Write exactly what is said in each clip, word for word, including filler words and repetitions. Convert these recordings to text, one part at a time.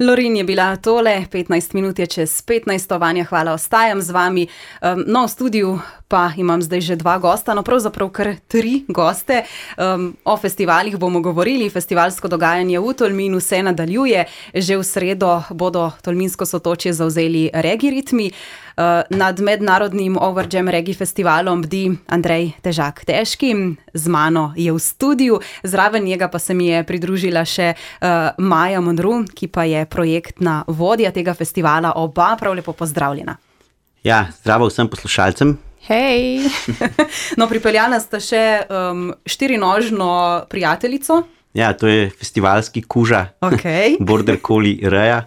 Lorin je bila tole, petnajst minut je čez petnajst, Vanja, hvala, ostajam z vami. Um, no, v studiu pa imam zdaj že dva gosta, no pravzaprav kar tri goste. Um, o festivalih bomo govorili, festivalsko dogajanje v Tolminu se nadaljuje. Že v sredo bodo Tolminsko Sotočje zavzeli Reggae ritmi. Uh, nad mednarodnim Overjam Reggae festivalom bdi Andrej Težak Težki, z mano je v studiu, zraven njega pa se mi je pridružila še uh, Maja Monru, ki pa je projektna vodja tega festivala. Oba prav lepo pozdravljena. Ja, zdravo vsem poslušalcem. Hej! No, pripeljala sta še um, štirinožno prijateljico. Ja, to je festivalski kuža, okay. Border Collie Reja.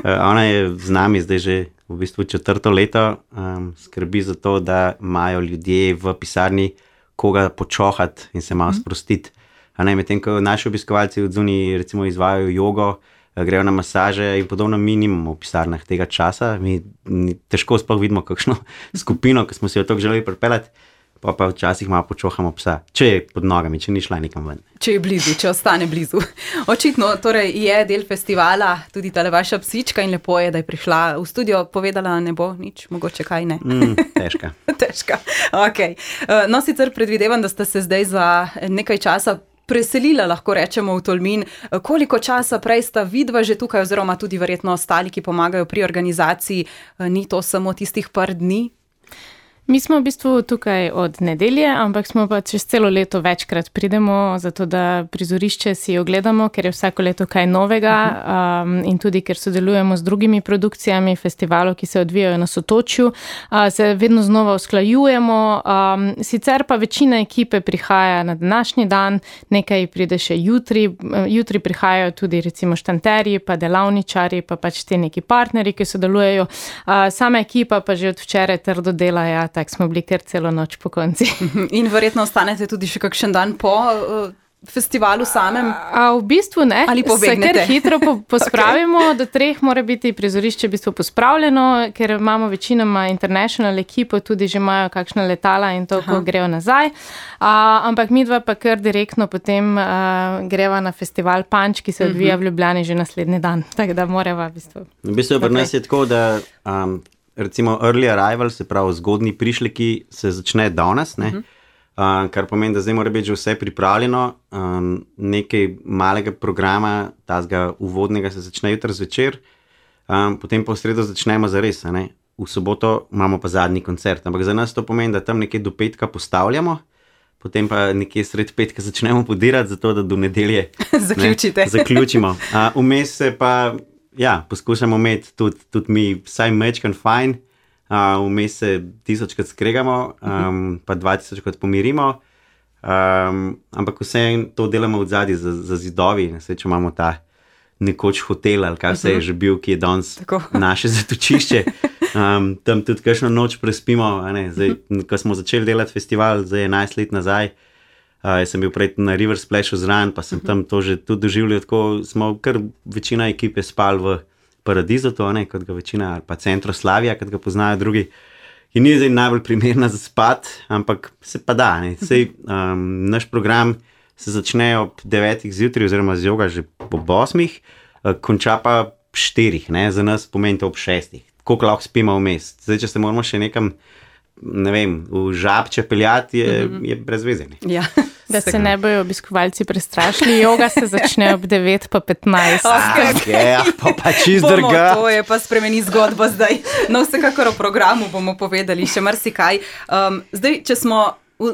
Uh, ona je z nami zdaj že v bistvu četrto leto, um, skrbi za to, da imajo ljudje v pisarni koga počohati in se malo sprostiti. A ne, medtem ko naši obiskovalci od zunaj recimo izvajajo jogo, grejo na masaže in podobno, mi nimamo v pisarnah tega časa, mi težko sploh vidimo kakšno skupino, ki smo si jo tako želeli pripeljati, pa pa včasih malo počohamo psa, če je pod nogami, če ni šla nekam ven. Če je blizu, če ostane blizu. Očitno torej je del festivala tudi tale vaša psička in lepo je, da je prišla v studio, povedala ne bo nič, mogoče kaj ne. Mm, težka. Težka, ok. No, sicer predvidevam, da ste se zdaj za nekaj časa preselila, lahko rečemo, v Tolmin. Koliko časa prej sta vidva že tukaj, oziroma tudi verjetno ostali, ki pomagajo pri organizaciji, ni to samo tistih par dni? Mi smo v bistvu tukaj od nedelje, ampak smo pa čez celo leto večkrat pridemo, zato da prizorišče si ogledamo, ker je vsako leto kaj novega um, in tudi ker sodelujemo z drugimi produkcijami festivalov, ki se odvijajo na Sotočju, uh, se vedno znova usklajujemo. Um, sicer pa večina ekipe prihaja na današnji dan, nekaj pride še jutri. Jutri prihajajo tudi recimo štanterji, pa delavničari, pa pač te neki partnerji, ki sodelujejo. Uh, sama ekipa pa že od včeraj trdo dela, ja, tako smo bili kar celo noč po konci. In verjetno ostanete tudi še kakšen dan po uh, festivalu samem? A, a v bistvu ne. Ali pobegnete? Se kar hitro po, pospravimo, okay. Do treh mora biti prizorišče v bistvu pospravljeno, ker imamo večinoma international ekipo, tudi že imajo kakšna letala in to, ko grejo nazaj. A, ampak midva pa kar direktno potem a, greva na festival Punch, ki se odvija v Ljubljani že naslednji dan. Tako da morava v bistvu. V bistvu pri nas je tako, da um, recimo early arrival, se pravi zgodnji prišleki, se začne danes, ne? Uh-huh. Uh, kar pomeni, da zdaj mora biti že vse pripravljeno, um, nekaj malega programa, tazga uvodnega se začne jutri zvečer, um, potem pa v sredo začnemo zares, ne? V soboto imamo pa zadnji koncert, ampak za nas to pomeni, da tam nekaj do petka postavljamo, potem pa nekje sred petka začnemo podirati, zato da do nedelje zaključite. Ne, zaključimo. Uh, vmes se pa ja, poskušamo imeti tudi, tudi mi vsaj mečkan fajn, uh, vmes se tisočkrat skregamo, um, pa dva tisočkrat pomirimo, um, ampak vse to delamo v zadnji za, za zidovi, nesreče imamo ta nekoč hotel, ali kaj vse je že bil, ki je danes naše zatočišče, um, tam tudi kakšno noč prespimo, a ne, zdaj, ko smo začeli delati festival, zdaj enajst let nazaj, Uh, jaz sem bil prej na River Splashu zraven, pa sem tam to že tudi doživljal, tako smo kar večina ekipe spali v Paradizu, to ne, kot ga večina, ali pa Centro Slavija, kot ga poznajo drugi, in ni zdaj najbolj primerna za spat, ampak se pa da, ne, sej um, naš program se začne ob devetih zjutraj, oziroma z joga že ob osmih, uh, konča pa štirih, ne, za nas pomeni to ob šestih, koliko lahko spimo vmes, zdaj, če se moramo še nekam, ne vem, v Žabče peljati, je, mm-hmm. je brez veze. Ja. Da se ne bojo obiskovalci prestrašili, joga se začne ob devet pa petnajst. Okay, pa pa čist drga. To je pa spremeni zgodbo zdaj. No, vsekakor o programu bomo povedali še marsikaj. Um, zdaj, če smo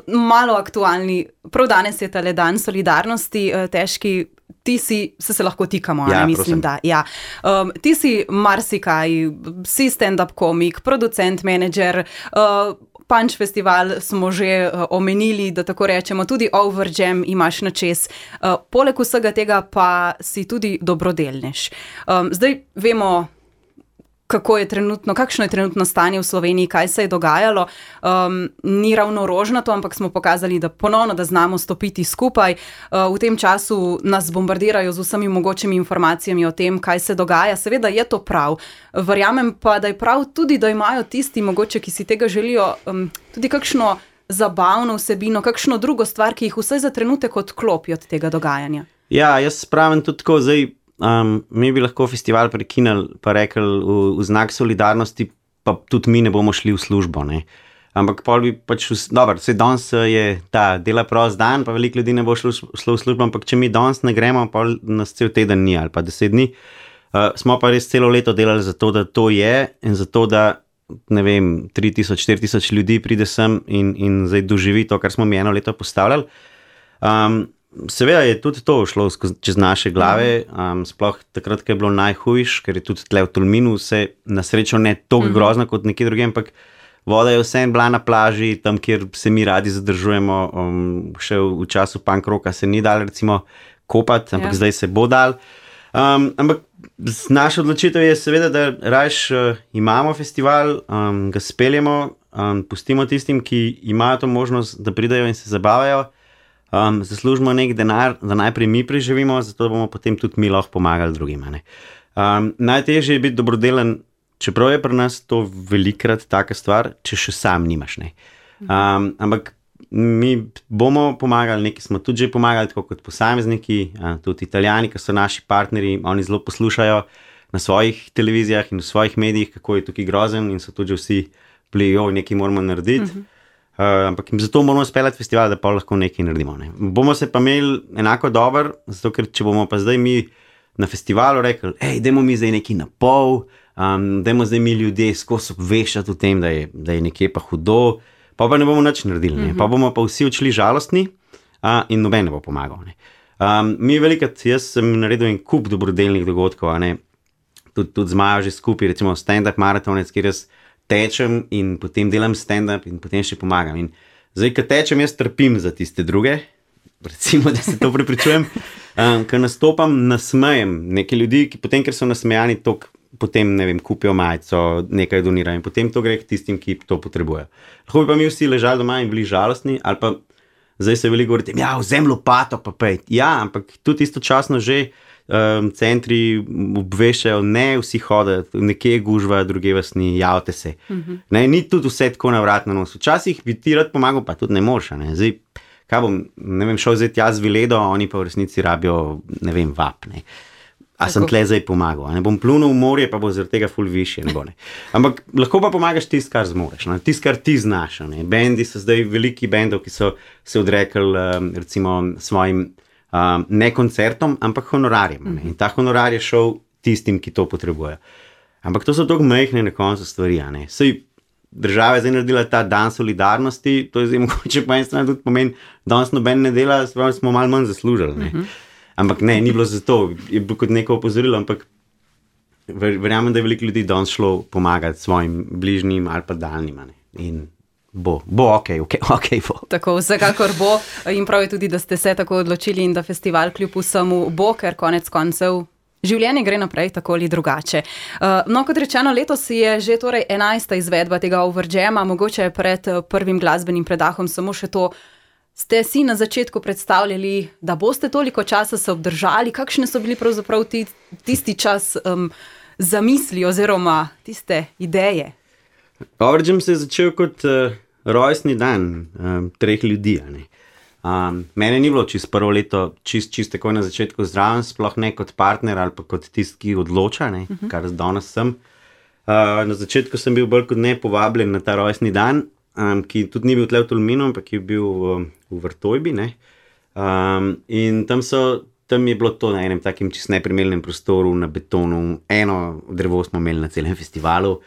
malo aktualni, prav danes je tale dan solidarnosti, Težki, ti si, se se lahko tikamo, ja, ne mislim, prosim. Da. Ja. Um, ti si marsikaj, si stand-up komik, producent, menedžer, uh, Punch festival smo že uh, omenili, da tako rečemo, tudi Overjam imaš na čez. Uh, poleg vsega tega pa si tudi dobrodelnež. Um, zdaj vemo, kako je trenutno, kakšno je trenutno stanje v Sloveniji, kaj se je dogajalo. Um, ni ravno rožnato, ampak smo pokazali, da ponovno, da znamo stopiti skupaj. Uh, v tem času nas bombardirajo z vsemi mogočimi informacijami o tem, kaj se dogaja. Seveda je to prav. Verjamem pa, da je prav tudi, da imajo tisti mogoče, ki si tega želijo, um, tudi kakšno zabavno vsebino, kakšno drugo stvar, ki jih vsaj za trenutek odklopi od tega dogajanja. Ja, jaz pravim tudi tako, zdaj um, mi bi lahko festival prekinili, pa rekli v, v znak solidarnosti, pa tudi mi ne bomo šli v službo, ne. Ampak pol bi pač, dobro, vse danes je ta dela prost dan, pa veliko ljudi ne bo šlo, šlo v službo, ampak če mi danes ne gremo, pol nas cel teden ni ali pa deset dni. Uh, smo pa res celo leto delali za to, da to je in za to, da ne vem, tri tisoč, štiri tisoč ljudi pride sem in, in zdaj doživi to, kar smo mi eno leto postavljali. Um, seveda je tudi to šlo skozi, čez naše glave, um, sploh takrat, ko je bilo najhujš, ker je tudi tle v Tolminu vse na srečo ne toliko grozno kot nekje drugje, ampak voda je vseeno bila na plaži, tam, kjer se mi radi zadržujemo, um, še v, v času punk rocka se ni dal recimo kopati, ampak ja. Zdaj se bo dal. Um, ampak naša odločitev je seveda, da rajš uh, imamo festival, um, ga speljemo, um, pustimo tistim, ki imajo to možnost, da pridajo in se zabavajo, um, zaslužimo nek denar, da najprej mi preživimo, zato bomo potem tudi mi lahko pomagali drugima. Um, najtežje je biti dobrodelen, čeprav je pri nas to velikrat taka stvar, če še sam nimaš. Ne. Um, ampak mi bomo pomagali, neki smo tudi že pomagali, tako kot posamezniki, tudi Italijani, ki so naši partnerji, oni zelo poslušajo na svojih televizijah in v svojih medijih, kako je tukaj grozen in so tudi vsi bili, jo, nekaj moramo narediti. Uh-huh. Uh, ampak zato moramo speljati festival, da pa lahko nekaj naredimo. Ne. Bomo se pa imeli enako dober, zato ker če bomo pa zdaj mi na festivalu rekli, hej, dajmo mi zdaj nekaj na pol, um, dajmo zdaj mi ljudje skozi obveščati o tem, da je, da je nekje pa hudo, pa pa ne bomo nič naredili, ne? Mm-hmm. Pa bomo pa vsi odšli žalostni uh, in noben ne bo pomagal. Ne? Um, mi velikrat, jaz sem naredil en kup dobrodelnih dogodkov, a ne? Tud, tudi z Majo že skupaj, recimo stand-up maratonec, kjer jaz tečem in potem delam stand-up in potem še pomagam. In zdaj, ko tečem, jaz trpim za tiste druge, recimo, da se to prepričujem, um, ko nastopam, nasmejem neke ljudi, ki potem, ker so nasmejani, tok, potem, ne vem, kupijo majico, nekaj donirajo in potem to gre k tistim, ki to potrebujejo. Lahko bi pa mi vsi ležali doma in bili žalostni, ali pa zdaj se veliko govorite, ja, vzem lopato pa pej. Ja, ampak tudi istočasno že um, centri obveščajo, ne vsi hoditi, nekje gužva, druge vas ni, javite se. Mm-hmm. Ne, ni tudi vse tako na vrat na nos. Včasih bi ti rad pomagal, pa tudi ne moreš, ne. Zdaj, kaj bom, ne vem, šel zdaj jaz Viledo, oni pa v resnici rabijo, ne vem, vap, ne. A tako. Sem tle zdaj pomagal, ne bom plunil v morje, pa bo zaradi tega ful višje, ne bo, ne. Ampak lahko pa pomagaš tist, kar zmoreš, ne, tist, kar ti znaš, ne. Bendi so zdaj veliki bendov, ki so se odrekli, um, recimo, svojim, um, ne koncertom, ampak honorarjem, ne. In ta honorar je šel tistim, ki to potrebujejo. Ampak to so tako majhne na koncu stvari, ne. Sej, država je zdaj naredila ta dan solidarnosti, to je zdaj mogoče po eni strani tudi pomeni, danes noben ne dela, smo malo manj zaslužili, ne. Uh-huh. Ampak ne, ni bilo zato, je bilo kot neko opozorilo, ampak verjamem, da je veliko ljudi danes šlo pomagati svojim bližnjim ali pa daljnim, ne. In bo, bo ok, ok, ok bo. Tako, vsekakor bo in prav je tudi, da ste se tako odločili in da festival kljub vsemu bo, ker konec koncev življenje gre naprej tako ali drugače. Uh, no, kot rečeno, letos je že torej enajsta izvedba tega Overjama, mogoče pred prvim glasbenim predahom samo še to. Ste si na začetku predstavljali, da boste toliko časa se obdržali? Kakšne so bili pravzaprav ti, tisti čas um, zamisli oziroma tiste ideje? Overjam se je začel kot uh, rojstni dan um, treh ljudi. Ne? Um, mene ni bilo čist prvo leto, čist, čist tako na začetku zdraven, sploh ne kot partner ali pa kot tisti, ki odloča, ne? Uh-huh. Kar danes sem. Uh, na začetku sem bil bolj kot ne povabljen na ta rojstni dan, Um, ki tudi ni bil tle v Tolminu, ampak je bil um, v Vrtojbi, ne. Um, in tam so, tam je bilo to na enem takim čist neprimernem prostoru, na betonu, eno drevo smo imeli na celem festivalu,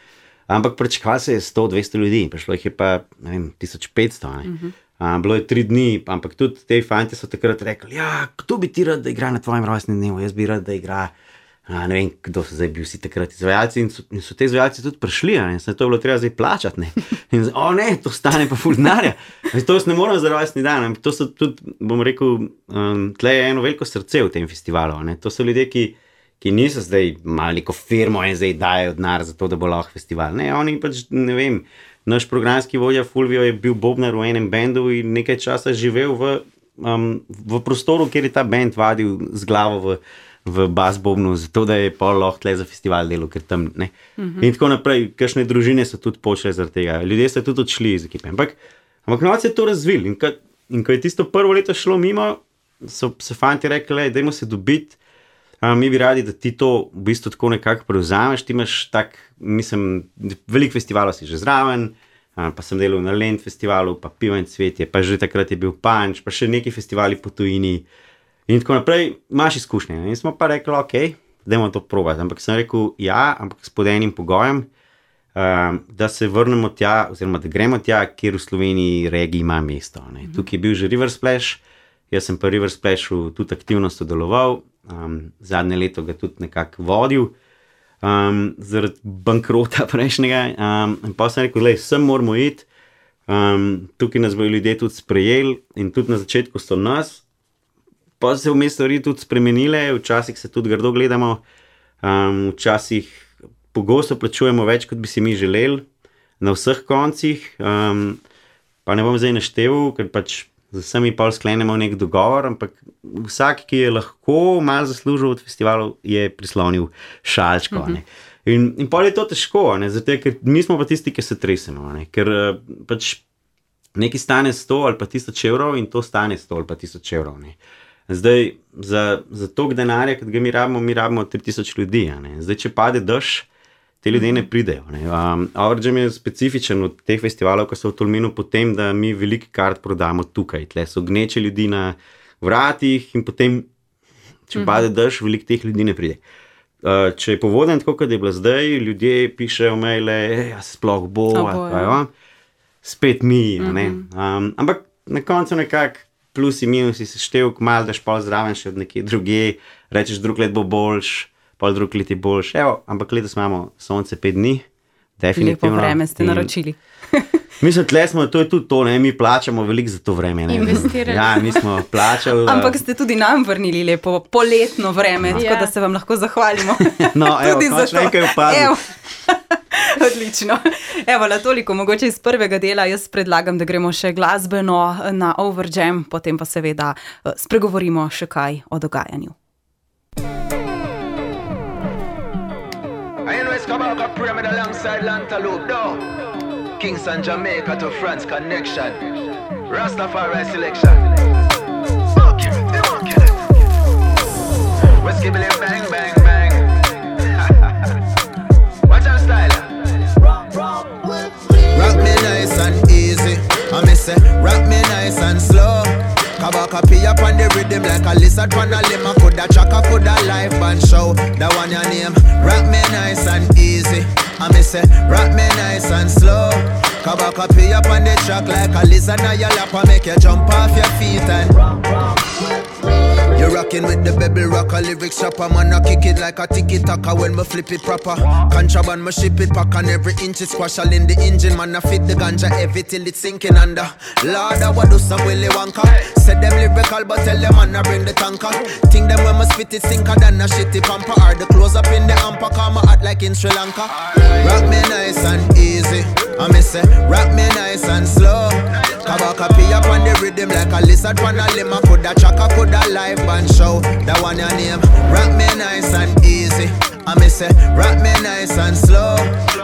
ampak pričakalo se je sto dvesto ljudi, prišlo jih je pa, ne vem, tisoč petsto, ne. Uh-huh. Um, bilo je tri dni, ampak tudi te fantje so takrat rekli, ja, kdo bi ti rad, da igra na tvojem rojstnem dnevu, jaz bi rad, da igra. A, ne vem, kdo so zdaj bili vsi takrat izvajalci in so, in so te izvajalci tudi prišli, ne, se to je bilo treba zdaj plačati, ne, in zdaj, o ne, to stane pa ful denarja, to jaz ne moram za rojstni dan, to so tudi, bom rekel, um, tle je eno veliko srce v tem festivalu, ne, to so ljudje, ki, ki niso zdaj imeli neko firmo in zdaj dajo denar za to, da bo lahko festival, ne, oni pač, ne vem, naš programski vodja Fulvio je bil bobnar v enem bendu in nekaj časa živel v, um, v prostoru, kjer je ta bend vadil z glavo v v bas bobnu, zato da je pol lahko tle za festival delo, ker tam, ne. Uh-huh. In tako naprej, kakšne družine so tudi počele zaradi tega, ljudje so tudi odšli iz ekipe, ampak, ampak novac je to razvil in, in ko je tisto prvo leto šlo mimo, so se fanti rekli, dajmo se dobiti, Um, mi bi radi, da ti to v bistvu tako nekako prevzameš. Ti imaš tak, mislim, veliko festivalov si že zraven, um, pa sem delal na Lent festivalu, pa Pivo in cvetje, pa že takrat je bil Punch, pa še neki festivali po tujini in tako naprej. Imaš izkušnje. In smo pa rekli, ok, dajmo to probati. Ampak sem rekel, ja, ampak s pod enim pogojem, um, da se vrnemo tja, oziroma da gremo tja, kjer v Sloveniji regiji ima mesto. Ne. Tukaj je bil že River Splash, jaz sem pa River Splashu tudi aktivno sodeloval. Um, zadnje leto ga tudi nekako vodil um, zaradi bankrota prejšnjega um, in pa sem rekel, lej, sem moramo iti, um, tukaj nas bojo ljudje tudi sprejeli in tudi na začetku so nas, pa se vmes stvari tudi spremenile, včasih se tudi grdo gledamo, um, včasih pogosto plačujemo več, kot bi si mi želeli na vseh koncih, um, pa ne bom zdaj našteval, ker pač z vsemi pol sklenemo nek dogovor, ampak vsak, ki je lahko malo zaslužil od festivalov, je prislonil šalčko. Mm-hmm. In, in pol je to težko, ne? Zato, ker mi smo pa tisti, ki se tresemo, ne? Ker pač nekaj stane sto ali pa tisoč evrov in to stane sto ali pa tisoč evrov. Ne? Zdaj, za, za toliko denarja, kot ga mi rabimo, mi rabimo tri tisoč ljudi. Ne? Zdaj, če pade dež, te ljudje ne pridejo. Ne? Um, Overjam je specifičen od teh festivalov, ko so v Tolminu potem, da mi veliko kart prodamo tukaj. Tle so gneče ljudi na vratih in potem, če pade dež, veliko teh ljudi ne pride. Uh, če je povoden tako, kot je bilo zdaj, ljudje pišejo maile, ja, sploh bo, oh, spet mi. Mm-hmm. Um, ampak na koncu nekako plusi, minusi se števk, malo daš pol zraven še od nekje druge, rečeš, drug let bo boljš, pol drug let je boljš. Evo, ampak letos imamo sonce pet dni, definitivno. Lepo vreme ste naročili. Mislim, tle smo, to je tudi to, ne, mi plačamo veliko za to vreme. Ne. Investirali. Ja, mi smo plačali. Ampak ste tudi nam vrnili lepo poletno vreme, no. Tako da se vam lahko zahvalimo. No, evo, končno nekaj upadlo. Odlično. Evo, la toliko, mogoče iz prvega dela, jaz predlagam, da gremo še glasbeno na Overjam, potem pa seveda spregovorimo še kaj o dogajanju. Kabaka Pyramid alongside Lantaloupe, no. Kingston, Jamaica to France connection. Rastafari selection. Fuck it, fuck it. Whiskey Billy bang, bang, bang. Watch our style. Rock me nice and easy. I miss it. Rock me nice and slow. Kabaka pee up on the rhythm like a lizard on a limb. Coulda chaka, coulda live band show. That one your name. Rock me nice and easy. I miss it. Rock me nice and slow. Kabaka pee up on the track like a lizard on your lap. I make you jump off your feet and you're rocking with the Bebel Rocker lyrics shopper. Man, I kick it like a tiki-taka when me flip it proper. Contraband, me ship it pack on every inch. It's squash all in the engine. Man, I fit the ganja heavy till it's sinking under. Lord, I would do some Willy Wonka. Said them lyrical, but tell them man, I bring the tanker. Think them when me spit it sinker than a shitty pamper. Or the close up in the amper, come out like in Sri Lanka. Rock me nice and easy. I miss it. Rock me nice and slow. Kabaka pee up on the rhythm like a lizard on a limb. Coulda chaka, coulda live band show. That one your name. Rock me nice and easy. I miss it. Rock me nice and slow.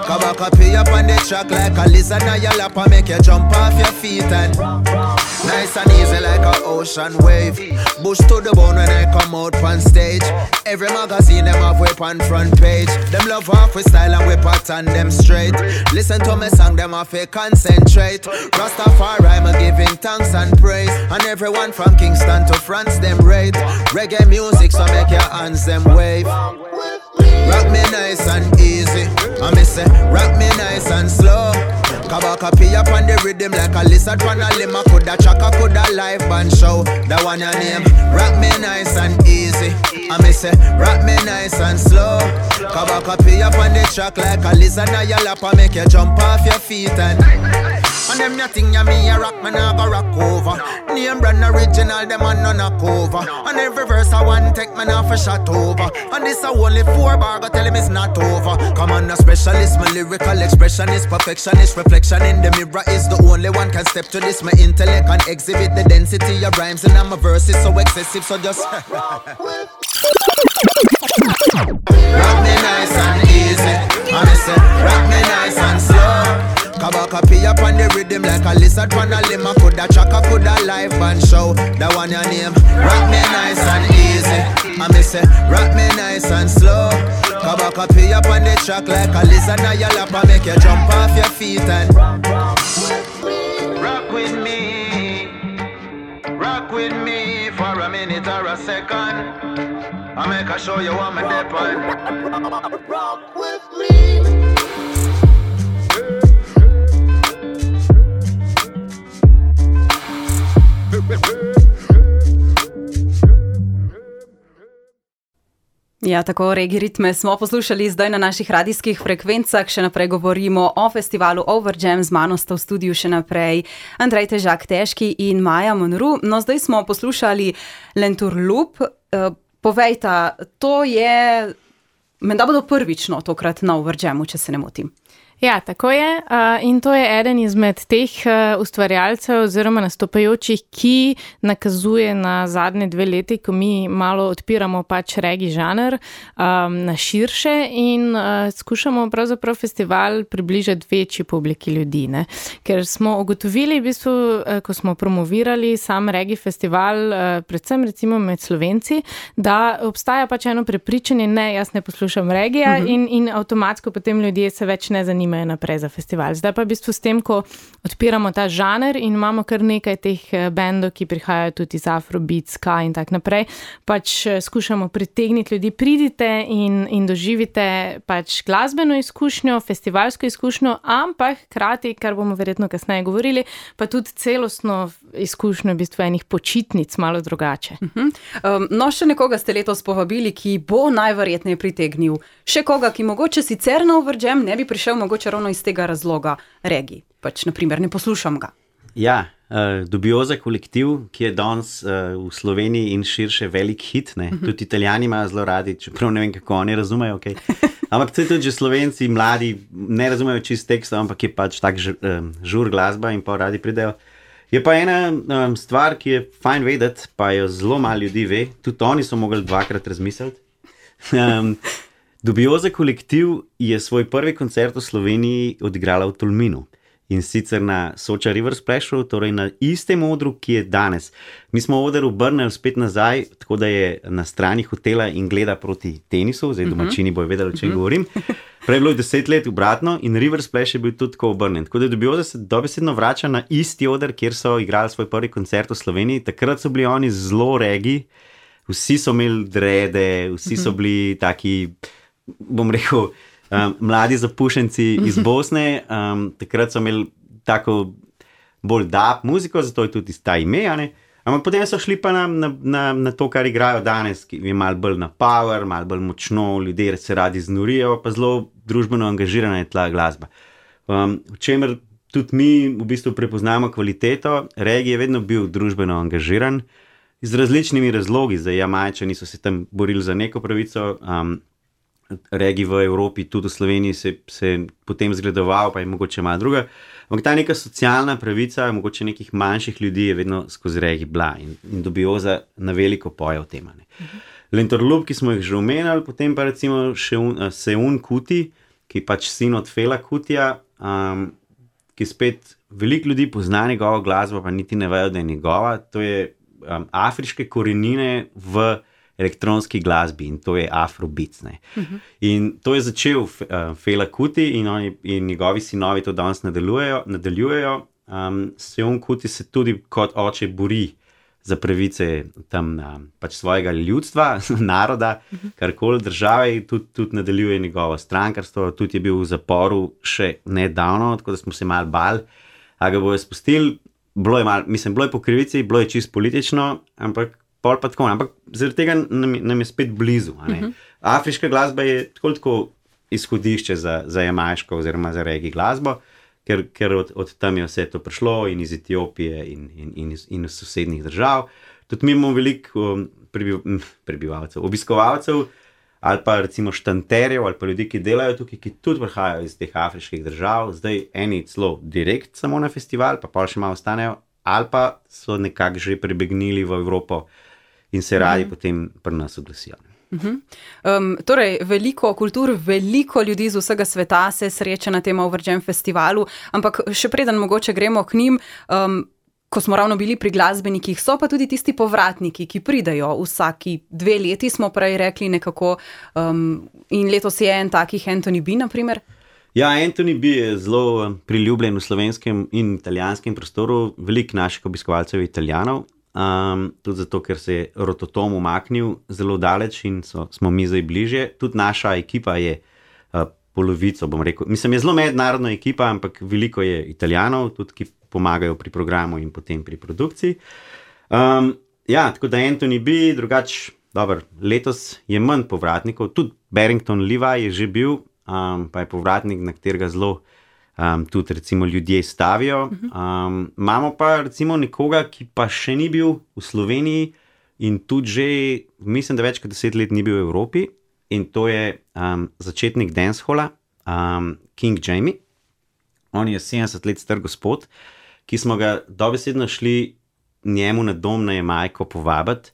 Kabaka pee up on the track like a lizard on your lap. I make you jump off your feet and nice and easy like an ocean wave. Bush to the bone when I come out on stage. Every magazine them have whip on front page. Them love half with style and whip pattern them straight. Listen to me song them have to concentrate. Rastafari me giving thanks and praise. And everyone from Kingston to France them rate. Reggae music so make your hands them wave. Rock me nice and easy. I miss it. Rock me nice and slow. Kabaka pee up on the rhythm like a lizard on a limb. Coulda chaka, coulda live band show. That one your name. Rock me nice and easy. I miss it. Rock me nice and slow. Kabaka pee up on the track like a lizard on your lap. I make you jump off your feet and and them ya thing ya me a rock, man I go rock over. Name brand original, them a no knock over. And every verse I want take man off a shot over. And this a only four bar, go tell him it's not over. Come on, a specialist, my lyrical expression is perfectionist. Reflection in the mirror is the only one can step to this. My intellect and exhibit the density of rhymes. And my verses so excessive, so just rock me nice and easy. And I say, rock me nice and slow. Kabaka pee up on the rhythm like a lizard on a limb. I coulda chaka, coulda live band show. That one your name. Rock me nice and easy. I me say rock me nice and slow. Kabaka pee up on the track like a lizard on your lap. I make you jump off your feet and rock with me. Rock with me for a minute or a second. I make a show you what me dip on. Rock with me. Ja, tako Reggae ritme smo poslušali zdaj na naših radijskih frekvencah. Še naprej govorimo o festivalu Overjam. Z mano sta v studiu še naprej Andrej Težak Težki in Maja Monroe. No, zdaj smo poslušali Lenturloop. Povejta, to je, menda bodo prvično tokrat na Overjamu, če se ne motim. Ja, tako je. Uh, in to je eden izmed teh uh, ustvarjalcev oziroma nastopajočih, ki nakazuje na zadnje dve leti, ko mi malo odpiramo pač reggae žanr um, na širše in uh, skušamo pravzaprav festival približati večji publiki ljudi. Ne? Ker smo ugotovili, v bistvu, uh, ko smo promovirali sam reggae festival, uh, predvsem recimo med Slovenci, da obstaja pač eno prepričanje, ne, jaz ne poslušam reggae uh-huh. in, in avtomatsko potem ljudje se več ne zanimajo naprej za festival. Zdaj pa v bistvu s tem, ko odpiramo ta žanr in imamo kar nekaj teh bendov, ki prihajajo tudi iz Afrobeat, ska in tak naprej, pač skušamo pritegniti ljudi, pridite in, in doživite pač glasbeno izkušnjo, festivalsko izkušnjo, ampak hkrati, kar bomo verjetno kasneje govorili, pa tudi celostno izkušnjo v bistvu enih počitnic malo drugače. Uh-huh. Um, no, še nekoga ste letos povabili, ki bo najverjetneje pritegnil. Še koga, ki mogoče sicer na Overjam ne bi prišel mogoče ravno iz tega razloga reggae. Pač, naprimer, ne poslušam ga. Ja, uh, Dubioza kolektiv, ki je danes uh, v Sloveniji in širše velik hit, ne? Uh-huh. Tudi Italijani imajo zelo radi, čeprav ne vem, kako oni razumejo, okay? Ampak tudi že Slovenci, mladi, ne razumejo čist teksta, ampak je pač tak ž, um, žur glasba in pa radi pridejo. Je pa ena um, stvar, ki je fajn vedeti, pa jo zelo malo ljudi ve, tudi oni so mogli dvakrat razmisliti. Um, Dubioza kolektiv je svoj prvi koncert v Sloveniji odigrala v Tolminu in sicer na Soča River Splashu, torej na istem odru, ki je danes. Mi smo oder obrnili spet nazaj, tako da je na strani hotela in gleda proti tenisu, zdaj domačini bojo vedeli, o čem govorim. Prej bilo je deset let obratno in River Splash je bil tudi tako obrnen. Tako da Dubioza se dobesedno vrača na isti oder, kjer so igrali svoj prvi koncert v Sloveniji. Takrat so bili oni zelo reggae, vsi so imeli drede, vsi so bili taki, bom rekel, um, mladi zapušenci iz Bosne. Um, takrat so imeli tako bolj dub muziko, zato je tudi ta ime, ne? Ampak potem so šli pa na, na, na, na to, kar igrajo danes, ki je malo bolj na power, malo bolj močno, ljudje se radi znorijo, pa zelo družbeno angažirana je tla glasba. Um, v čemer tudi mi v bistvu prepoznamo kvaliteto. Reggae je vedno bil družbeno angažiran z različnimi razlogi. Zdaj, Jamajčani so se tam borili za neko pravico, um, reggae v Evropi, tudi v Sloveniji se je potem zgledoval, pa je mogoče malo druga. Ampak ta neka socialna pravica, mogoče nekih manjših ljudi je vedno skozi reggae bila in, in Dubioza na veliko poje o tem. Uh-huh. Lenturloop, ki smo jih že omenjali, potem pa recimo še un, uh, Seun Kuti, ki je pač sin od Fela Kutija, um, ki spet veliko ljudi pozna njegovo glasbo, pa niti ne vejo, da je njegova. To je um, afriške korenine v elektronski glasbi in to je Afrobeats. Uh-huh. In to je začel uh, Fela Kuti in, oni, in njegovi sinovi to danes nadaljujejo. nadaljujejo. Um, Seun Kuti se tudi kot oče bori za pravice tam um, pač svojega ljudstva, naroda, uh-huh. karkoli države, tudi, tudi nadaljuje njegovo strankarstvo, tudi je bil v zaporu še nedavno, tako da smo se malo bali, a ga bojo spustili. Bilo je malo, mislim, bilo je po krivici, bilo je čisto politično, ampak pol pa tako, ampak zaradi tega nam, nam je spet blizu. Uh-huh. Afriška glasba je tako, tako izhodišče za, za jamajško oziroma za reggae glasbo, ker, ker od, od tam je vse to prišlo in iz Etiopije in, in, in, iz, in iz sosednjih držav. Tudi mi imamo veliko um, prebiv, prebivalcev, obiskovalcev ali pa recimo štanterjev ali pa ljudi, ki delajo tukaj, ki tudi prihajajo iz teh afriških držav. Zdaj eni celo direkt samo na festival, pa pol še malo ostanejo, ali pa so nekako že prebegnili v Evropo in se radi mm. potem pri nas oglasijo. Uh-huh. Um, torej, veliko kultur, veliko ljudi z vsega sveta se sreča na tem Over Jam festivalu, ampak še preden mogoče gremo k njim, um, ko smo ravno bili pri glasbenikih, so pa tudi tisti povratniki, ki pridejo vsaki dve leti, smo prej rekli nekako, um, in letos je en takih Anthony B, na primer. Ja, Anthony B je zelo priljubljen v slovenskem in italijanskem prostoru, veliko naših obiskovalcev je Italijanov, um, tudi zato, ker se je Rototom umaknil zelo daleč in so, smo mi zdaj bližje. Tudi naša ekipa je uh, polovico, bom rekel, mislim, je zelo mednarodna ekipa, ampak veliko je Italijanov, tudi ki pomagajo pri programu in potem pri produkciji. Um, ja, tako da Anthony B, drugač, dober, letos je manj povratnikov, tudi Barrington Levi je že bil, um, pa je povratnik, na katerega zelo um, tudi recimo ljudje stavijo. Um, imamo pa recimo nekoga, ki pa še ni bil v Sloveniji in tudi že, mislim, da več kot deset let ni bil v Evropi, in to je um, začetnik dancehola, um, King Jamie. On je sedemdeset let star gospod, ki smo ga dobesedno šli njemu na dom na Jamajko povabiti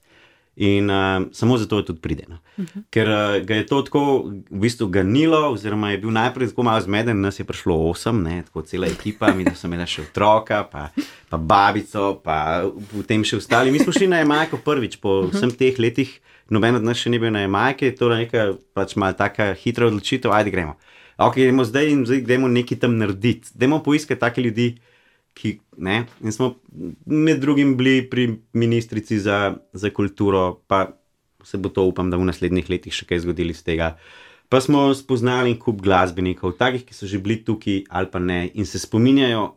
in uh, samo zato je tudi pride. No. Uh-huh. Ker uh, ga je to tako v bistvu ganilo, oziroma je bil najprej tako malo zmeden, nas je prišlo osem, ne, tako cela ekipa, mi da so imeli še otroka, pa, pa babico, pa potem še ostali. Mi smo šli na Jamajko prvič po uh-huh. vsem teh letih, noben od nas še ni bil na Jamajki, to je neka pač malo taka hitra odločitev, ajde gremo. Ok, gremo zdaj in zdaj gremo nekaj tam narediti. Dajmo poiskati take ljudi, ki, ne, in smo med drugim bili pri ministrici za, za kulturo, pa se bo to, upam, da v naslednjih letih še kaj zgodili z tega. Pa smo spoznali kup glasbenikov, takih, ki so že bili tukaj ali pa ne, in se spominjajo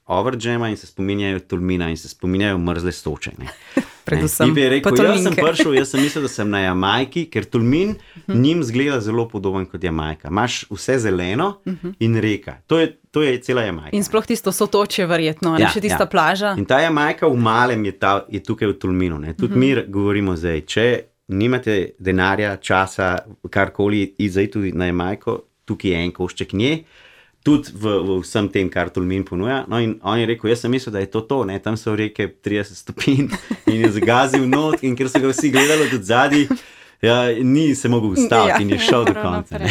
Over Jama in se spominjajo Tolmina in se spominjajo Mrzle Soče. Ne. Predvsem ne, rekel, jaz sem prišel, jaz sem mislil, da sem na Jamajki, ker Tolmin uh-huh. njim zgleda zelo podoben kot Jamajka. Imaš vse zeleno uh-huh. in reka. To je, to je cela Jamajka. In sploh tisto Sotočje verjetno, ja, ne še tista ja. plaža. In ta Jamajka v malem je, ta, je tukaj v Tolminu. Ne. Tudi uh-huh. mi govorimo zdaj, če nimate denarja, časa, karkoli, zdaj tudi na Jamajko, tukaj je en košček nje, tudi v, v vsem tem, kar Tolmin ponuja. No in on je rekel, jaz sem mislil, da je to to, ne, tam so reke trideset stopinj in je zagazil not, in ker so ga vsi gledali tudi zadnji, ja, ni se mogel ustaviti ja. in je šel do konca.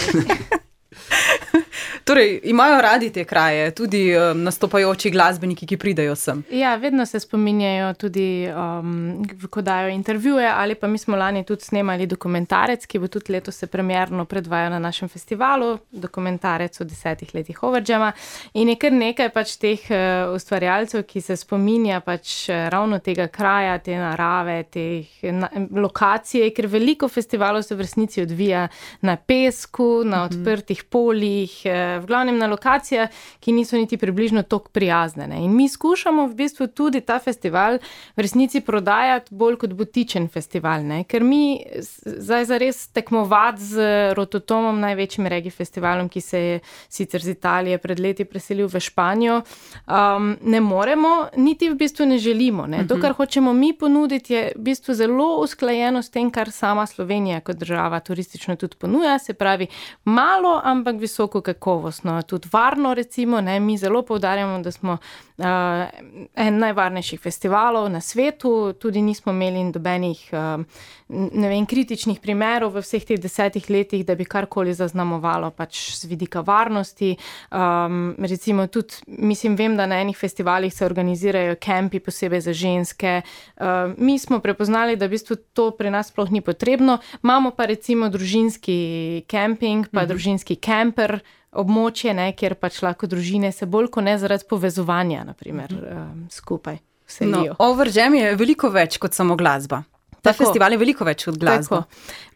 Torej, imajo radi te kraje, tudi um, nastopajoči glasbeniki, ki pridejo sem. Ja, vedno se spominjajo tudi, um, ko dajo intervjuje, ali pa mi smo lani tudi snemali dokumentarec, ki bo tudi letos se premierno predvajal na našem festivalu, dokumentarec o desetih letih Over Jama. In je kar nekaj pač teh uh, ustvarjalcev, ki se spominja pač uh, ravno tega kraja, te narave, teh na, lokacije, ker veliko festivalov se v resnici odvija na pesku, na mm-hmm. odprtih poljih, uh, v glavnem na lokacijah, ki niso niti približno toliko prijazne. Ne. In mi skušamo v bistvu tudi ta festival v resnici prodajati bolj kot butičen festival, ne. Ker mi zdaj zares tekmovati z Rototomom, največjim reggae festivalom, ki se je sicer z Italije pred leti preselil v Španijo, um, ne moremo, niti v bistvu ne želimo. Ne. To, kar hočemo mi ponuditi, je v bistvu zelo usklajeno s tem, kar sama Slovenija kot država turistično tudi ponuja, se pravi malo, ampak visoko kakovost. Tudi varno, recimo, ne, mi zelo poudarjamo, da smo uh, en najvarnejših festivalov na svetu, tudi nismo imeli dobenih uh, ne vem, kritičnih primerov v vseh teh desetih letih, da bi karkoli zaznamovalo pač z vidika varnosti. Um, recimo tudi, mislim, vem, da na enih festivalih se organizirajo kempi posebej za ženske. Uh, mi smo prepoznali, da v bistvu to pri nas sploh ni potrebno. Imamo pa recimo družinski kemping, pa mhm. družinski kemper, območje, ne, kjer pač lahko družine se bolj kot ne zaradi povezovanja, na primer, um, skupaj selijo. No, Over Jam je veliko več kot samo glasba. Ta tako. Festival je veliko več od glasbe.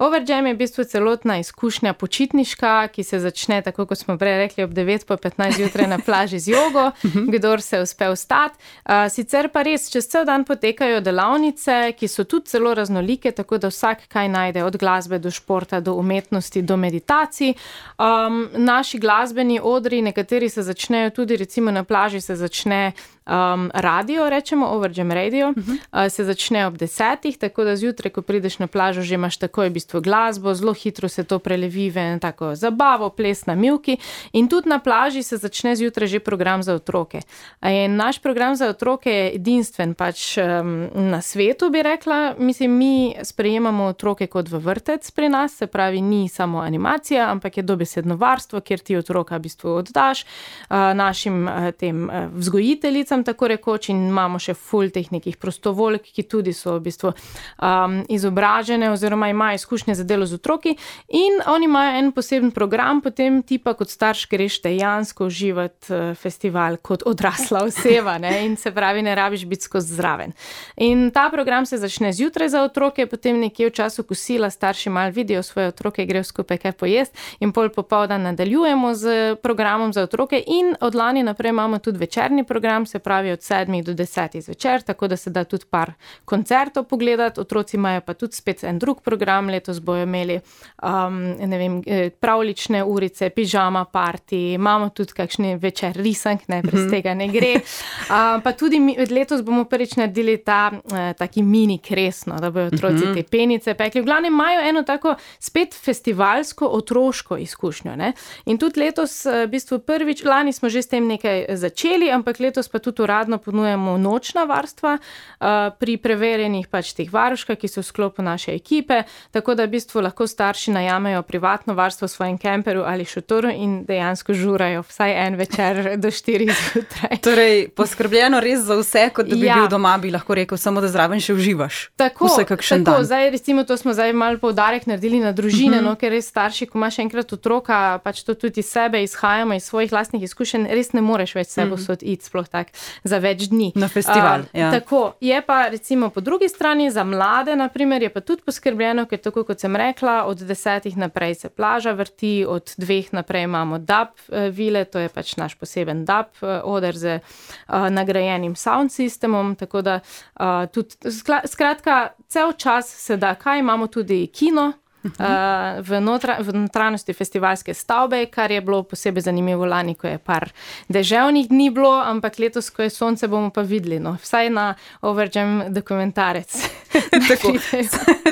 Over Jam je v bistvu celotna izkušnja počitniška, ki se začne, tako kot smo prej rekli, ob devet po petnajst jutraj na plaži z jogo, kdor se uspe vstati. Uh, sicer pa res, čez cel dan potekajo delavnice, ki so tudi zelo raznolike, tako da vsak kaj najde, od glasbe do športa, do umetnosti, do meditacij. Um, naši glasbeni odri, nekateri se začnejo tudi, recimo na plaži se začne Um, radio, rečemo, Overjam radio, uh -huh. uh, se začne ob desetih, tako da zjutraj, ko prideš na plažo, že imaš takoj v bistvu glasbo, zelo hitro se to prelevi v eno tako zabavo, ples na mivki in tudi na plaži se začne zjutraj že program za otroke. In naš program za otroke je edinstven pač um, na svetu, bi rekla. Mislim, mi sprejemamo otroke kot v vrtec pri nas, se pravi, ni samo animacija, ampak je dobesedno varstvo, kjer ti otroka v bistvu oddaš uh, našim uh, tem uh, vzgojiteljicam, tako rekoč, in imamo še ful teh nekih prostovoljk, ki tudi so v bistvu um, izobražene oziroma imajo izkušnje za delo z otroki in oni imajo en poseben program, potem ti pa kot starš greš dejansko uživati uh, festival kot odrasla oseba, ne, in se pravi, ne rabiš biti skozi zraven. In ta program se začne zjutraj za otroke, potem nekje v času kosila starši malo vidijo svoje otroke, grejo skupaj kaj pojesti in pol popoldan nadaljujemo z programom za otroke in od lani naprej imamo tudi večerni program, se pravi od sedmih do desetih zvečer, tako da se da tudi par koncertov pogledati, otroci imajo pa tudi spet en drug program, letos bojo imeli um, ne vem, pravlične urice, pižama party, imamo tudi kakšni večer risank, ne, brez tega ne gre, uh, pa tudi mi, letos bomo prvič naredili ta uh, taki mini kresno, da bojo otroci te penice pekli, v glavnem imajo eno tako spet festivalsko otroško izkušnjo, ne, in tudi letos v bistvu prvič, lani smo že s tem nekaj začeli, ampak letos pa tudi uradno ponujemo nočna varstva uh, pri preverjenih pač teh varuškah, ki so v sklopu naše ekipe, tako da v bistvu lahko starši najamejo privatno varstvo v svojem kemperu ali šotoru in dejansko žurajo vsaj en večer do štirih zjutraj. Torej, poskrbljeno res za vse, kot da bi ja. bil doma, bi lahko rekel, samo da zraven še uživaš. Tako, tako zdaj recimo to smo zdaj malo poudarek naredili na družine, uh-huh. no, ker res starši, ko imaš enkrat otroka, pač to tudi iz sebe izhajamo, iz svojih lastnih izkušenj, res ne moreš več sebo uh-huh. sod iti sploh tak za več dni. Na festival, uh, ja. Tako, je pa recimo po drugi strani za mlade, na primer, je pa tudi poskrbljeno, ker tako kot sem rekla, od desetih naprej se plaža vrti, od dveh naprej imamo dub vile, to je pač naš poseben dub oder z uh, nagrajenim sound systemom, tako da uh, tudi, skratka, cel čas se da, kaj imamo tudi kino, Uh, v, notra, v notranjosti festivalske stavbe, kar je bilo posebej zanimivo lani, ko je par deževnih dni bilo, ampak letos, ko je sonce, bomo pa videli, no, vsaj na Overjam dokumentarec. Tako,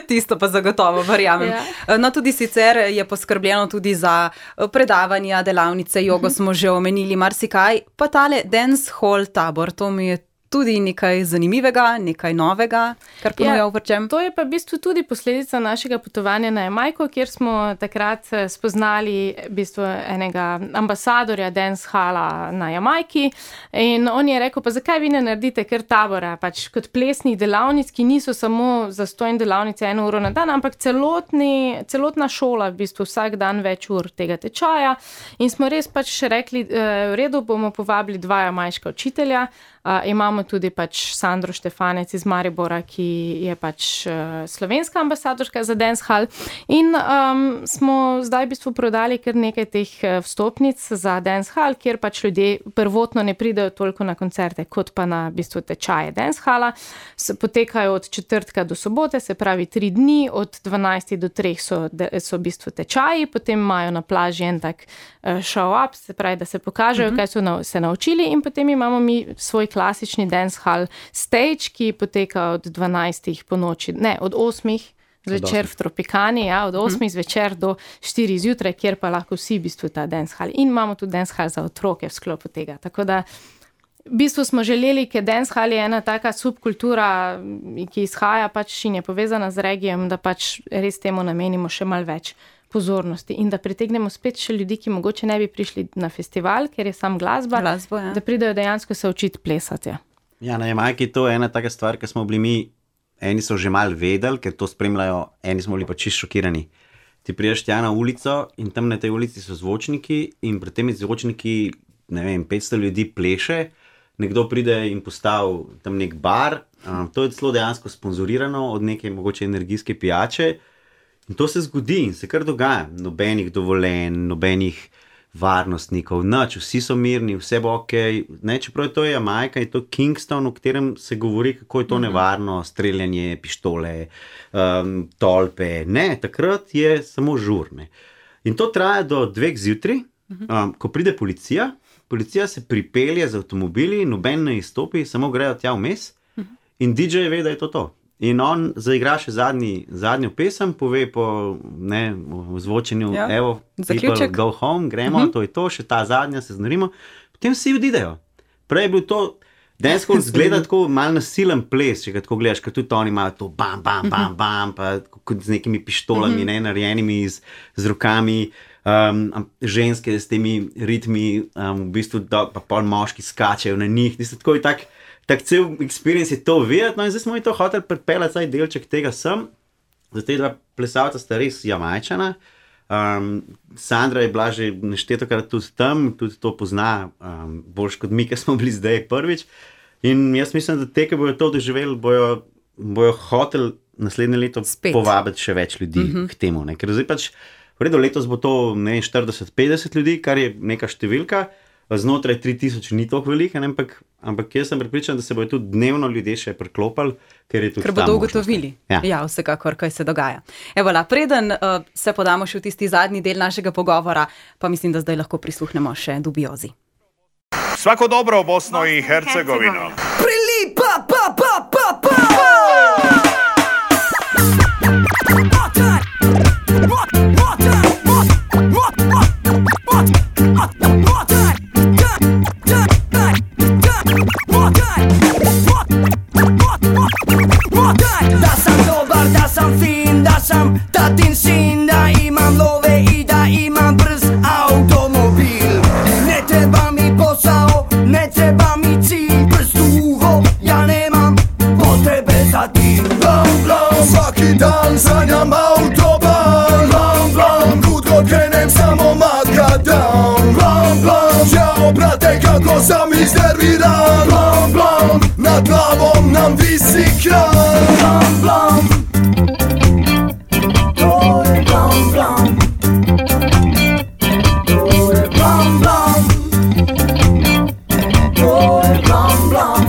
tisto pa zagotovo, verjamem. Ja. No, tudi sicer je poskrbljeno tudi za predavanja, delavnice, jogo uh-huh. smo že omenili, marsikaj, pa tale dance hall tabor, to mi je tudi nekaj zanimivega, nekaj novega, kar ponuja Overjam. To je pa v bistvu tudi posledica našega potovanja na Jamajko, kjer smo takrat spoznali v bistvu enega ambasadorja dance hala na Jamajki in on je rekel, pa zakaj vi ne naredite kar tabora, pač kot plesnih delavnic, ki niso samo zastojne delavnice eno uro na dan, ampak celotni, celotna šola v bistvu vsak dan več ur tega tečaja in smo res pač rekli, v redu bomo povabili dva jamajška učitelja. Uh, imamo tudi pač Sandro Štefanec iz Maribora, ki je pač uh, slovenska ambasadorka za dance hall in um, smo zdaj v bistvu prodali kar nekaj teh vstopnic za dance hall, kjer pač ljudje prvotno ne pridejo toliko na koncerte, kot pa na v bistvu tečaje dance hala. Potekajo od četrtka do sobote, se pravi tri dni, od dvanajstih do treh so, so v bistvu tečaji, potem imajo na plaži en tak uh, show up, se pravi, da se pokažejo, uh-huh. kaj so na, se naučili in potem imamo mi svoj klasični dance hall stage, ki poteka od dvanajstih po noči, ne, od osmih zvečer v Tropikani, ja, od osmih hmm. zvečer do štirih zjutraj, kjer pa lahko vsi v bistvu ta dance hall. In imamo tudi dance hall za otroke v sklopu tega. Tako da v bistvu smo želeli, ker dance hall je ena taka subkultura, ki izhaja pač in je povezana z regijem, da pač res temu namenimo še malo več pozornosti in da pritegnemo spet še ljudi, ki mogoče ne bi prišli na festival, ker je sam glasba, Glasbo, ja. da pridejo dejansko se učiti plesati. Ja, na Jamajki to je ena taka stvar, ki smo bili mi, eni so že malo vedeli, ker to spremljajo, eni smo bili pa čisto šokirani. Ti prideš tja na ulico in tam na tej ulici so zvočniki in pred temi zvočniki, ne vem, petsto ljudi pleše, nekdo pride in postavi tam nek bar, um, to je celo dejansko sponzorirano od neke mogoče energijske pijače. In to se zgodi in se kar dogaja. Nobenih dovoljenj, nobenih varnostnikov, nič, vsi so mirni, vse bo ok. Ne, čeprav je to Jamajka, je to Kingston, v katerem se govori, kako je to nevarno, streljanje, pištole, um, tolpe. Ne, takrat je samo žurne. In to traja do dveh zjutraj, um, ko pride policija policija se pripelje z avtomobili, noben ne izstopi, samo grejo tja vmes in D J ve, da je to to. In on zaigra še zadnji, zadnjo pesem, pove po ne, zvočenju, ja. Evo, people go home, gremo, uh-huh. to je to, še ta zadnja, se znarimo. Potem vsi odidejo. Prej je bil to, dansko zgleda tako mal nasilen ples, če ga tako gledaš, ker tudi oni imajo to bam, bam, bam, bam, pa kot z nekimi pištolami, uh-huh. ne, narejenimi z, z rokami, um, ženske s temi ritmi, um, v bistvu do, pa pol moški skačejo na njih, niso tako in tak, tak cel experience je to videti, no in zdaj smo mi to hoteli pripeljati, saj delček tega sem, za te dva plesalca sta res Jamajčana, um, Sandra je bila že neštetokrat tudi tam, tudi to pozna, um, boljš kot mi, ki smo bili zdaj prvič, in jaz mislim, da te, ki bojo to doživeli, bojo, bojo hoteli naslednje leto Spet. povabiti še več ljudi mm-hmm. k temu, ne? Ker zdaj pač, v redu, letos bo to ne, štirideset petdeset ljudi, kar je neka številka, znotraj tri tisoč ni toliko veliko, ampak, ampak jaz sem pripričan, da se bojo tudi dnevno ljudje še priklopili, ker je tudi ker bodo ugotovili, ja. ja, vsekakor, kaj se dogaja. Evo, la, preden uh, se podamo še v tisti zadnji del našega pogovora, pa mislim, da zdaj lahko prisluhnemo še Dubiozi. Svako dobro v Bosno in Hercegovino. Prilipa, pa, pa, pa, pa! Da sam dobar, da sam fin, da sam tatin sin, da imam love i da imam brz automobil. Ne treba mi posao, ne treba mi cilj, prst u uho, ja nemam potrebe za tim. Blam, blam, svaki dan sanjam autoban, blam, blam, kud god krenem samo makadam. Blam, blam, čao brate kako sam iznerviran, blam, blam, nad glavom nam visi kran. Blam, blam, to je blam, blam, to je blam, blam, to je blam, blam.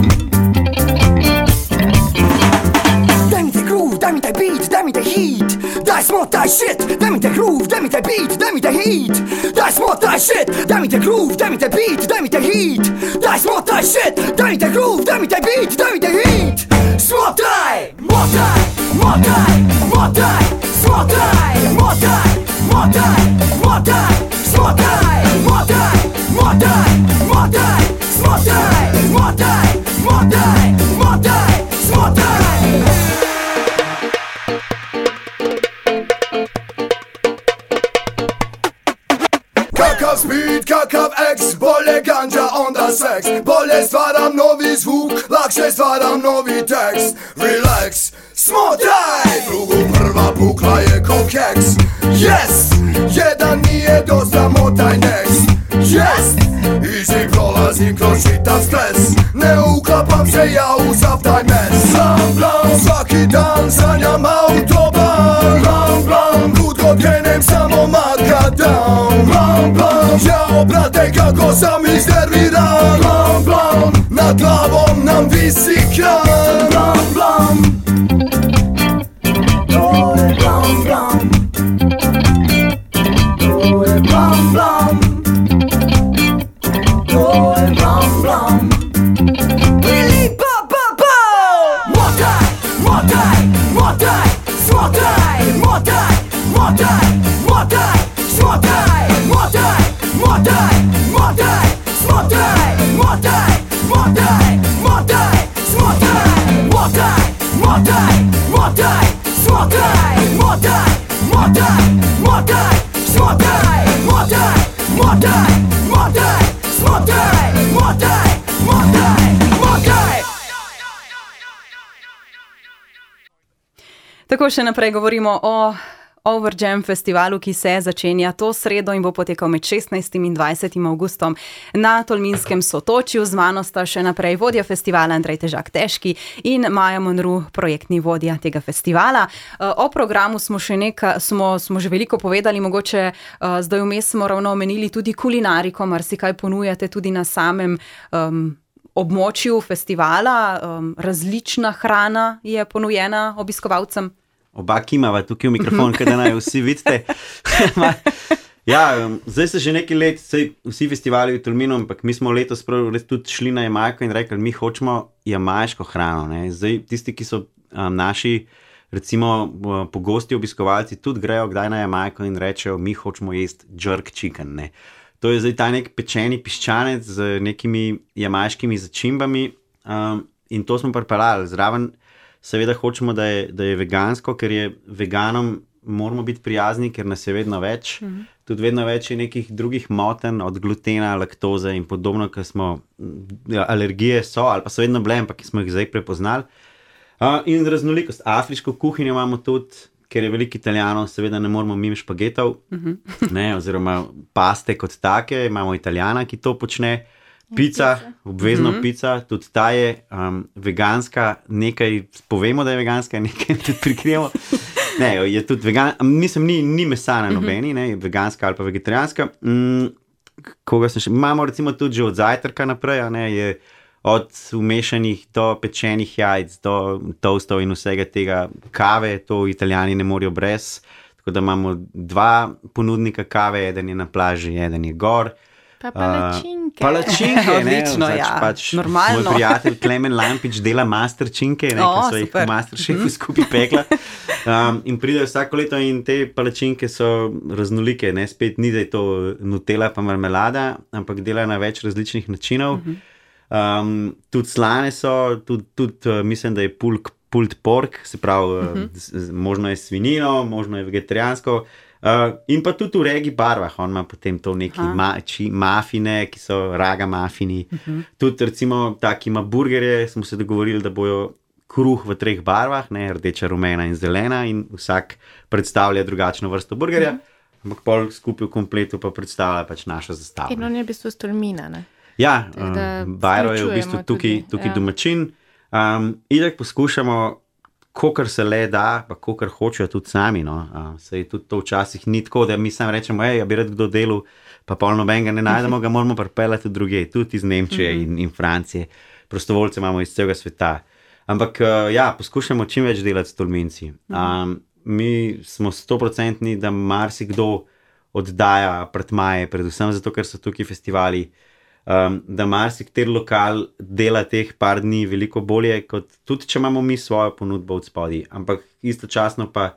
Daj mi taj groove, daj mi taj beat, daj mi taj heat, daj smotaj shit, daj mi taj groove, daj mi taj beat, daj mi taj heat, daj smotaj shit, daj mi taj groove, daj mi taj beat, daj mi taj heat, daj smotaj shit, daj mi taj groove, daj mi taj beat, daj mi taj heat. Smotaj, motaj, motaj, motaj, smotaj, motaj, motaj, motaj, smotaj, motaj, motaj, motaj, smotaj, motaj, motaj, motaj, smotaj. Kakav speed, kakav X, bolje ganja, onda seks. Bolje stvaram novi zvuk, lakše stvaram novi tekst. Relax, smotaj, drugu prva bukla je ko keks. Yes, jedan nije dosta, motaj next. Yes, easy prolazim kroz čitav stres. Ne uklapam se ja u sav taj mes. Blam, blam, svaki dan sanjam autoban. Blam, blam, kud god krenem samo makadam. Blam, blam, jao brate kako sam iznerviran. Blam, blam, nad glavom nam visi kran. Blam, blam, to je blam, blam, to je blam, blam, to je blam, blam. Prilipa, pa, pa! Motaj, motaj, motaj, smotaj, motaj, motaj, motaj, smotaj, motaj, motaj, motaj, smotaj, motaj, motaj, motaj, smotaj, motaj, motaj, motaj, smotaj, motaj, motaj, motaj, smotaj, motaj, motaj, motaj, smotaj, motaj, motaj, motaj. Tako še naprej govorimo o Over Jam festivalu, ki se začenja to sredo in bo potekal med šestnajstim in dvajsetim avgustom na Tolminskem sotočju. Z mano sta še naprej vodja festivala Andrej Težak Težki in Maja Monru, projektni vodja tega festivala. O programu smo še nekaj, smo, smo že veliko povedali, mogoče zdaj vmes smo ravno omenili tudi kulinariko, marsikaj ponujate tudi na samem um, območju festivala, um, različna hrana je ponujena obiskovalcem. Oba kimava tukaj v mikrofon, kaj da naj vsi vidite. Ja, um, zdaj se že nekaj let, sej vsi festivali v Tolminu, ampak mi smo letos tudi šli na Jamajko in rekli, mi hočemo jamajško hrano. Ne? Zdaj tisti, ki so um, naši, recimo uh, pogosti obiskovalci, tudi grejo kdaj na Jamajko in rečejo, mi hočemo jesti jerk chicken. Ne? To je zdaj ta nek pečeni piščanec z nekimi jamajškimi začimbami um, in to smo pripeljali. Zraven seveda hočemo, da je, da je vegansko, ker je veganom moramo biti prijazni, ker nas je vedno več. Mm-hmm. Tudi vedno več je nekih drugih motenj, od glutena, laktoze in podobno, ker smo, ja, alergije so, ali pa so vedno bile, ampak smo jih zdaj prepoznali. Uh, in raznolikost. Afriško kuhinjo imamo tudi, ker je veliko Italijanov, seveda ne moramo mimo špagetov, mm-hmm. ne, oziroma paste kot take, imamo Italijana, ki to počne. Pica, obvezno mm-hmm. pica, tudi ta je um, veganska, nekaj povemo, da je veganska, nekaj tudi prikrijemo. Ne, je tudi vegan, mislim, ni, ni mesa na nobeni, ne, veganska ali pa vegetarijanska. Mm, koga sem še, imamo recimo tudi že od zajtrka naprej, ne, je od umešanih do pečenih jajc, do toastov in vsega tega, kave, to Italijani ne morejo brez, tako da imamo dva ponudnika kave, eden je na plaži, eden je gor. Pa palačinke. Uh, palačinke, ne, odlično, zač, ja, pač normalno. Moj prijatelj Klemen Lampič dela masterčinke, ne, O, ki so jih super. v Masterchefu skupaj pekla. Um, in pridejo vsako leto in te palačinke so raznolike, ne, spet ni, da je to Nutella pa marmelada, ampak dela na več različnih načinov. Um, tudi slane so, tudi, tudi uh, mislim, da je pulk, pulled pork, se pravi, uh, z, z, možno je svinino, možno je vegetarijansko. Uh, in pa tudi v regi barvah, on ima potem to neki ma, či, mafine, ki so raga mafini. Uh-huh. Tudi recimo taki ima burgerje, smo se dogovorili, da bojo kruh v treh barvah, ne, rdeča, rumena in zelena in vsak predstavlja drugačno vrsto burgerja, uh-huh. ampak pol skupaj v kompletu pa predstavlja pač našo zastavo. In on je v bistvu z Tolmina, ne? Ja, um, Bajro je v bistvu tukaj, tukaj ja. domačin. Um, itak poskušamo, kolikor se le da, pa kolikor hočejo tudi sami. No. Uh, Sej tudi to včasih ni tako, da mi sam rečemo, ej, ja bi rad kdo delal, pa pol nobenega ne najdemo, ga moramo pripeljati tudi druge, tudi iz Nemčije in, in Francije. Prostovoljce imamo iz celega sveta. Ampak uh, ja, poskušamo čim več delati s Tolminci. Um, mi smo stoprocentni, da marsikdo oddaja apartmaje, predvsem zato, ker so tukaj festivali, Um, da marsikateri lokal dela teh par dni veliko bolje, kot tudi če imamo mi svojo ponudbo od spodaj. Ampak istočasno pa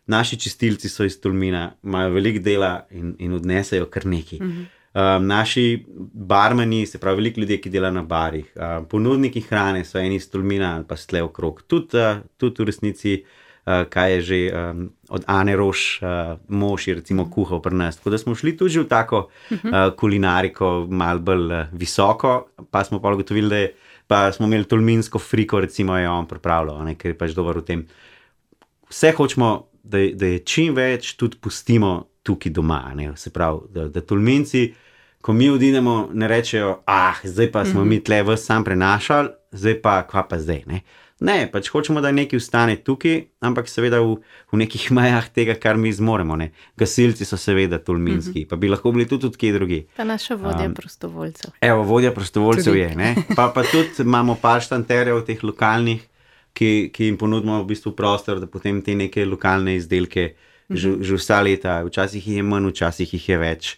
naši čistilci so iz Tolmina, imajo veliko dela in, in odnesejo kar nekaj. Mm-hmm. Um, naši barmani, se pravi veliko ljudi, ki dela na barih, um, ponudniki hrane so eni iz Tolmina ali pa stle okrog. Tudi, uh, tudi v resnici, uh, kaj je že um, od Ane Roš, uh, mož je recimo kuhal pri nas. Tako da smo šli tudi v tako uh, kulinariko, malo bolj uh, visoko, pa smo pa ugotovili, da je, pa smo imeli tolminsko friko, recimo je on pripravljal, ne, ker je pač dober v tem. Vse hočemo, da, da je čim več tudi pustimo tukaj doma, ne, se pravi, da, da Tolminci, ko mi odidemo, ne rečejo, ah, zdaj pa smo mm-hmm. mi tle vas sam prenašali, zdaj pa, kva pa zdaj, ne. Ne, pač hočemo, da nekaj ostane tukaj, ampak seveda v, v nekih mejah tega, kar mi zmoremo. Ne. Gasilci so seveda tolminski, mm-hmm. pa bi lahko bili tudi odkje drugi. Pa naša vodja um, prostovoljcev. Evo, vodja prostovoljcev tudi. Je. Ne. Pa, pa tudi imamo par štanterjev teh lokalnih, ki, ki jim ponudimo v bistvu prostor, da potem te neke lokalne izdelke mm-hmm. že, že vsa leta, včasih jih je manj, včasih jih je več.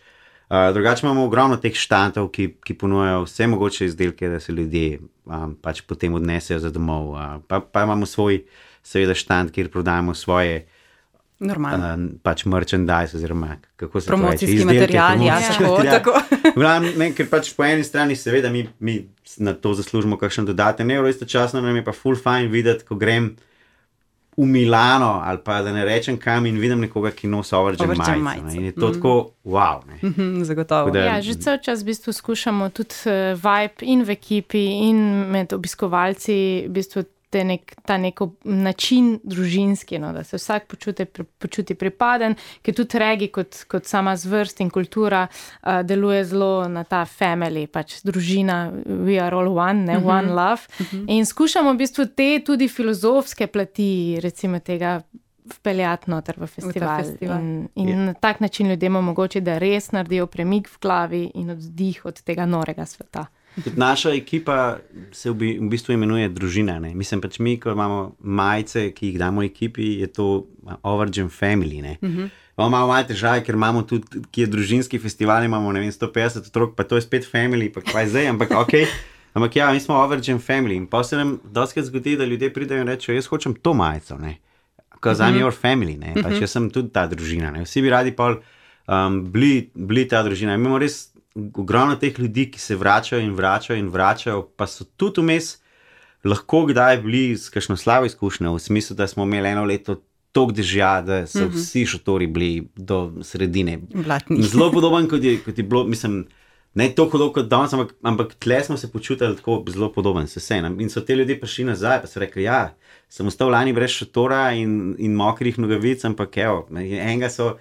Uh, drugače imamo ogromno teh štantov, ki, ki ponujajo vse mogoče izdelke, da se ljudje um, pač potem odnesejo za domov. Uh, pa, pa imamo svoj, seveda, štant, kjer prodajamo svoje uh, pač merchandise, oziroma kako se promocijski pravi, izdelke, material, ja, tako, tako. Glavno, ne, ker pač po eni strani seveda mi, mi na to zaslužimo kakšen dodaten evro, istočasno nam je pa full fine videti, ko grem v Milano, ali pa da ne rečem kam in vidim nekoga, ki nosi Overjam majico. In je to mm. tako, wow. Mm-hmm, zagotovo. Da, ja, že cel čas v bistvu skušamo tudi uh, vibe in v ekipi in med obiskovalci v bistvu te nek, ta neko način družinski, no, da se vsak počuti, počuti pripaden, ker tudi regi kot, kot sama zvrst in kultura uh, deluje zelo na ta family, pač družina, we are all one, ne, mm-hmm. one love. Mm-hmm. In skušamo v bistvu te tudi filozofske plati, recimo tega, vpeljati noter v festival. V festival. In, in yeah. na tak način ljudem omogoči, da res naredijo premik v glavi in oddih od tega norega sveta. Tudi naša ekipa se v, v bistvu imenuje družina. Ne? Mislim pač mi, ko imamo majice, ki jih damo ekipi, je to Overgen Family. Ne? Uh-huh. Imamo malo malo težave, ker imamo tudi, ki je družinski festival, imamo ne vem, sto petdeset otrok, pa to je spet family, pa kaj zdaj, ampak ok. Ampak ja, mi smo Overgen Family in pa se nam doskrat zgodi, da ljudje pridejo in rečejo, jaz hočem to majico, ne. Because uh-huh. I'm your family, ne. Pač jaz sem tudi ta družina, ne. Vsi bi radi pol um, bili, bili ta družina. Imamo res ogromno teh ljudi, ki se vračajo in vračajo in vračajo, pa so tudi vmes lahko kdaj bili s kakšno slabo izkušnjo, v smislu, da smo imeli eno leto toliko dežja, da so uh-huh. vsi šotori bili do sredine. Blatni. Zelo podoben, kot je, kot je bilo, mislim, ne toliko dolgo kot danes, ampak, ampak tle smo se počutili tako zelo podoben, se vse. In so te ljudje prišli nazaj, pa so rekli, ja, sem ostal lani brez šotora in, in mokrih nogavic, ampak evo, enega so,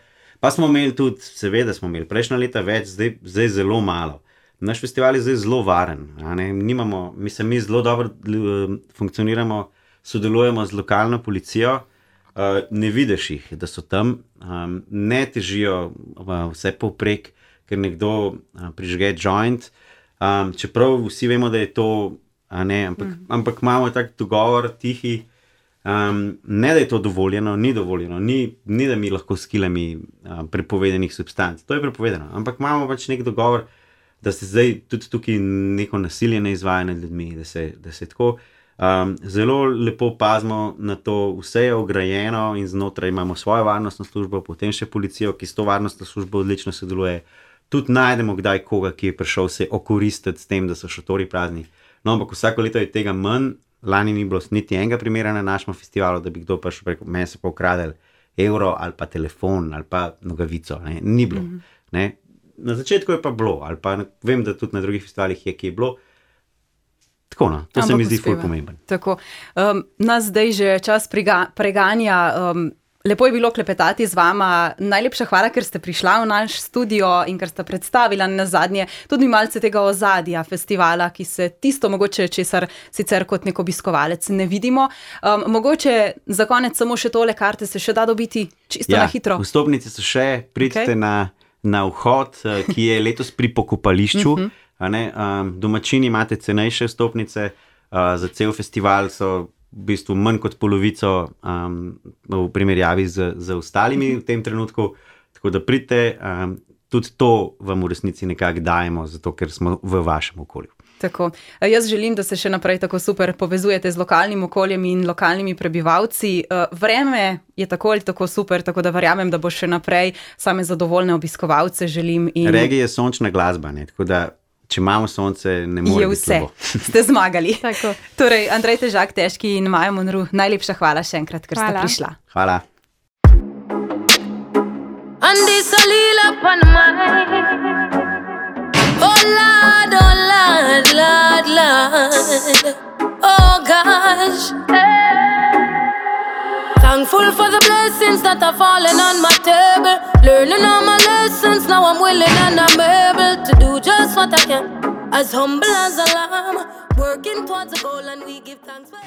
pa smo imeli tudi, seveda smo imeli prejšnja leta več, zdaj, zdaj zelo malo. Naš festival je zdaj zelo varen, a ne, nimamo, mislim, mi zelo dobro funkcioniramo, sodelujemo z lokalno policijo, uh, ne vidiš jih, da so tam, um, ne težijo uh, vse povprek, ker nekdo uh, prižge joint, um, čeprav vsi vemo, da je to, a ne, ampak, mm. ampak imamo tak dogovor tihi, um, ne da je to dovoljeno, ni dovoljeno, ni, ni da mi lahko s kilami uh, prepovedanih substanc, to je prepovedano, ampak imamo pač nek dogovor, da se zdaj tudi tukaj neko nasilje ne izvaja nad ljudmi, da se, da se tako um, zelo lepo pazimo na to, vse je ograjeno in znotraj imamo svojo varnostno službo, potem še policijo, ki s to varnostno službo odlično sodeluje. Tudi najdemo kdaj koga, ki je prišel se okoristiti s tem, da so šotori prazni. No, ampak vsako leto je tega manj, lani ni bilo niti enega primera na našem festivalu, da bi kdo prišel preko mene se pa ukradel evro ali pa telefon ali pa nogavico, ne, ni bilo. Mm-hmm. Ne. Na začetku je pa bilo, ali pa vem, da tudi na drugih festivalih je, ki je bilo. Tako no, to ampak se mi zdi ful pomemben. Tako, um, nas zdaj že čas priga, preganja, um, lepo je bilo klepetati z vama. Najlepša hvala, ker ste prišla v naš studio in ker ste predstavila na zadnje tudi malce tega ozadja festivala, ki se tisto mogoče česar sicer kot nek obiskovalec ne vidimo. Um, mogoče za konec samo še tole, karte se še da dobiti čisto ja, na hitro. Vstopnice so še, pridite okay. na, na vhod, ki je letos pri pokopališču. uh-huh. a ne, um, domačini imate cenejše vstopnice, uh, za cel festival so v bistvu manj kot polovico um, v primerjavi z, z ostalimi v tem trenutku, tako da pridite, um, tudi to vam v resnici nekako dajemo, zato ker smo v vašem okolju. Tako. Jaz želim, da se še naprej tako super povezujete z lokalnim okoljem in lokalnimi prebivalci. Vreme je tako ali tako super, tako da verjamem, da bo še naprej same zadovoljne obiskovalce želim. In... Regija je sončna glasba, ne? Tako da če imamo sonce, ne more biti slabo. Ste zmagali. Tako. Torej, Andrej Težak, Težki in Maja Monru, najlepša hvala še enkrat, ker hvala. Ste prišla. Hvala. Andi salila pan mai. Oh Lord, oh Lord, Lord, Lord. Oh gosh. Thankful for the blessings that are falling on my table. Learning all my lessons, now I'm willing and I'm able to do just what I can. As humble as a lamb, working towards a goal and we give thanks for